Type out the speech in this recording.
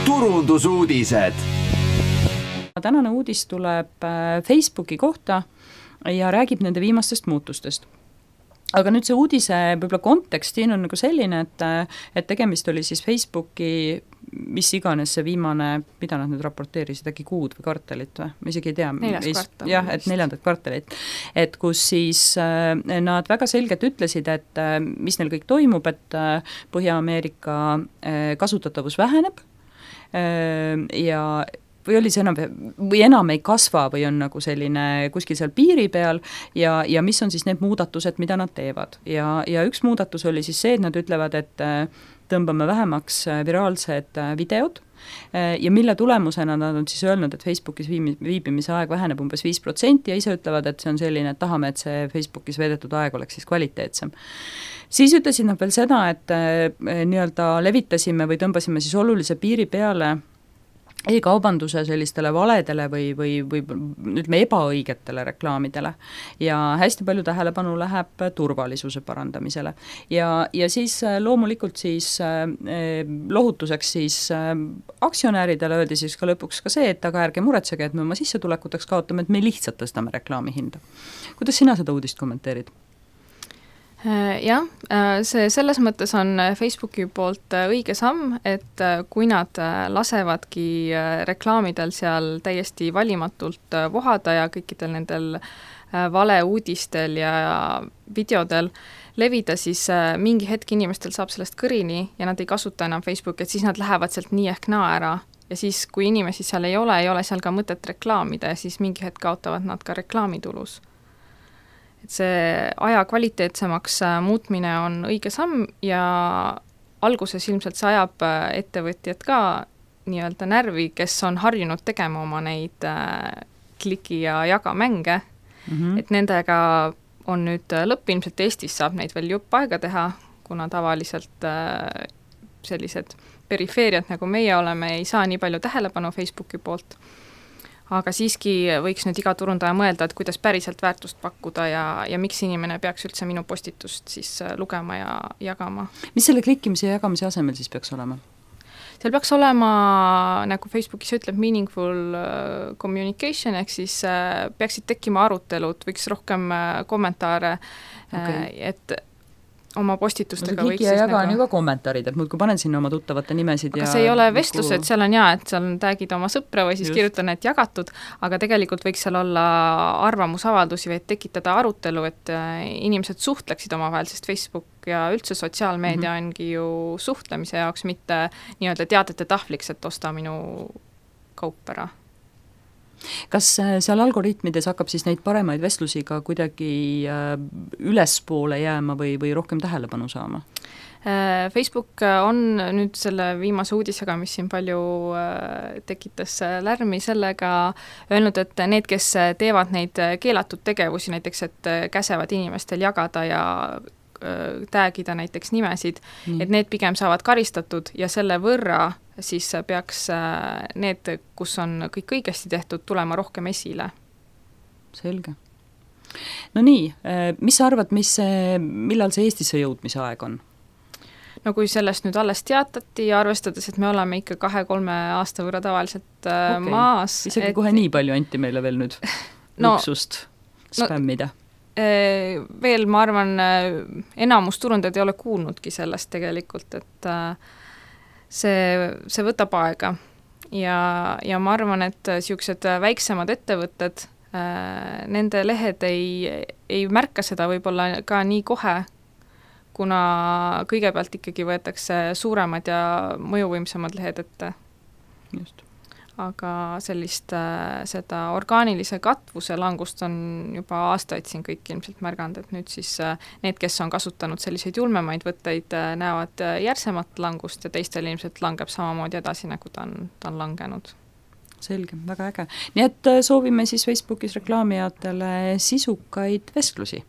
turundusuudised. Tänane uudis tuleb Facebooki kohta ja räägib nende viimastest muutustest. Aga nüüd see uudise võib-olla kontekst siin on nagu selline, et tegemist oli siis Facebooki, mis iganes see viimane, mida nad nüüd raporteerisid, äkki kuud või kvartalit või? Ma isegi ei tea. Jah, et 4. kvartalit. Et kus siis nad väga selgelt ütlesid, et mis neil kõik toimub, et Põhja-Ameerika kasutatavus väheneb ja või oli see enam ei kasva või on nagu selline kuskil seal piiri peal ja mis on siis need muudatused, mida nad teevad. Ja üks muudatus oli siis see, et nad ütlevad, et tõmbame vähemaks viraalsed videod ja mille tulemusena nad on siis öelnud, et Facebookis viibimise aeg väheneb umbes 5% ja ise ütlevad, et see on selline, et tahame, et see Facebookis veedetud aeg oleks siis kvaliteetsem. Siis ütlesid nad veel seda, et nii-öelda levitasime või tõmbasime siis olulise piiri peale e-kaubanduse sellistele valedele või ütleme ebaõigetele reklaamidele ja hästi palju tähelepanu läheb turvalisuse parandamisele ja siis loomulikult siis lohutuseks siis aktsionäridele öeldi siis ka lõpuks ka see, et aga ärge muretsege, et me oma sissetulekuteks kaotame, et me lihtsalt tõstame reklaami hinda. Kuidas sina seda uudist kommenteerid? Jah, see selles mõttes on Facebooki poolt õige samm, et kui nad lasevadki reklaamidel seal täiesti valimatult vohada ja kõikidel nendel valeuudistel ja videodel levida, siis mingi hetk inimestel saab sellest kõrini ja nad ei kasuta enam Facebooki, et siis nad lähevad sealt nii ehk naa ära ja siis, kui inimesi seal ei ole seal ka mõtet reklaamida ja siis mingi hetk kaotavad nad ka reklaamitulus. Et see aja kvaliteetsemaks muutmine on õige samm ja alguses ilmselt see ajab ettevõtjad ka nii-öelda närvi, kes on harjunud tegema oma neid kliki ja jaga mänge, et nendega on nüüd lõpp, ilmselt Eestis saab neid veel jupp aega teha, kuna tavaliselt sellised perifeeriad, nagu meie oleme, ei saa nii palju tähelepanu Facebooki poolt. Aga siiski võiks nüüd iga turundaja mõelda, et kuidas päriselt väärtust pakkuda ja miks inimene peaks üldse minu postitust siis lugema ja jagama. Mis selle klikkimise ja jagamise asemel siis peaks olema? Seal peaks olema, nagu Facebookis ütleb, meaningful communication, ehk siis peaksid tekkima arutelud, võiks rohkem kommentaare, et oma postitustega võiks siis jaga on ju ka kommentaarid, et muudkui panen sinna oma tuttavate nimesid. Aga see ei ole vestlused, seal on et seal on tagid oma sõpra või siis just kirjutan, et jagatud, aga tegelikult võiks seal olla arvamusavaldusi või tekitada arutelu, et inimesed suhtleksid omavahel, sest Facebook ja üldse sotsiaalmeedia ongi ju suhtlemise jaoks, mitte nii-öelda teadete tahvliks, et osta minu kaup ära. Kas seal algoritmides hakkab siis neid paremaid vestlusi ka kuidagi ülespoole jääma või rohkem tähelepanu saama? Facebook on nüüd selle viimase uudisega, mis siin palju tekitas lärmi, sellega öelnud, et need, kes teevad neid keelatud tegevusi, näiteks et käsevad inimestel jagada ja tagida näiteks nimesid, et need pigem saavad karistatud ja selle võrra siis peaks need, kus on kõik õigesti tehtud, tulema rohkem esile. Selge. No nii, mis sa arvad, millal see Eestisse jõudmise aeg on? No kui sellest nüüd alles teatati ja arvestades, et me oleme ikka 2-3 aasta võrra tavaliselt maas. Isegi kohe nii palju anti meile veel nüüd luksust spämmida. Veel ma arvan, enamus turundajad ei ole kuulnudki sellest tegelikult, et see võtab aega ja ma arvan, et siuksed väiksemad ettevõtted, nende lehed ei märka seda võib-olla ka nii kohe, kuna kõigepealt ikkagi võetakse suuremad ja mõjuvõimsamad lehed ette. Just. Aga seda orgaanilise katvuse langust on juba aastaid siin kõik ilmselt märganud, et nüüd siis need, kes on kasutanud selliseid julmemaid võtteid, näevad järsemat langust ja teistel ilmselt langeb samamoodi edasi, nagu ta on langenud. Selge, väga äge. Nii et soovime siis Facebookis reklaamijatele sisukaid vestlusi.